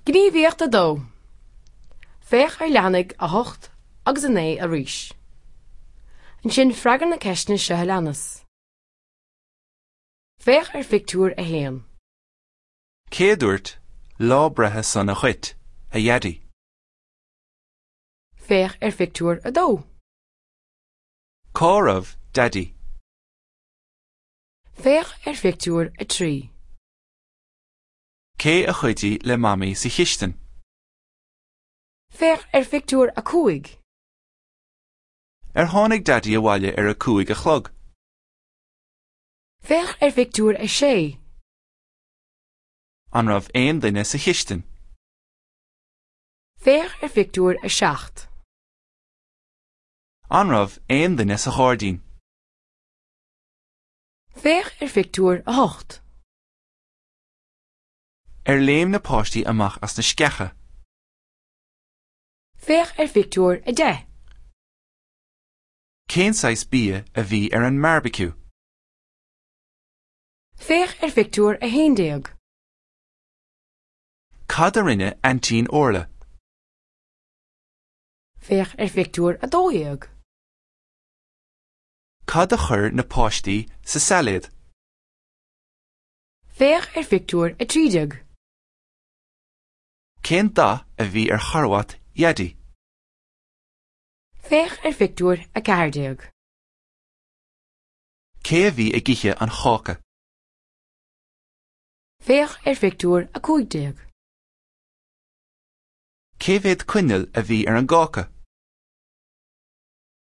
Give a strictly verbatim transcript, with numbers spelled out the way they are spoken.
Gníomhaíocht a dó. Féach ar leathanaigh a hocht agus a naoi arís. Ansin freagair na ceisteanna seo a leanas. Féach ar phictiúr a haon. Cé a dúirt lá breithe sona dhuit, a Dhaidí? Féach ar phictiúr a dó. Cá raibh Daidí? Féach ar phictiúr a trí. Cé a chuidigh le Mamaí sa chistin? Féach ar phictiúr a cúig. Ar tháinig Daidí abhaile ar a cúig a chlog? Féach ar phictiúr a sé. An raibh aon duine sa chistin? Féach ar phictiúr a seacht. An raibh aon duine sa ghairdín? Féach ar phictiúr a hocht. Ar léim na páistí amach as na sceacha? Féach ar phictiúr a deich. Cén saghas bia a bhí ar an mbearbaiciú? Féach ar phictiúr a haon déag. Cad a rinne Aintín Orla? Féach ar phictiúr a dó dhéag. Cad a chuir na páistí sa sailéad? Féach ar phictiúr a trí déag. Cén dath a bhí ar charbhat Dhaidí? Féach ar phictiúr a ceathair déag. Cé a bhí ag ithe an cháca? Féach ar phictiúr a cúig déag. Cé mhéad coinneal a bhí ar an gcáca?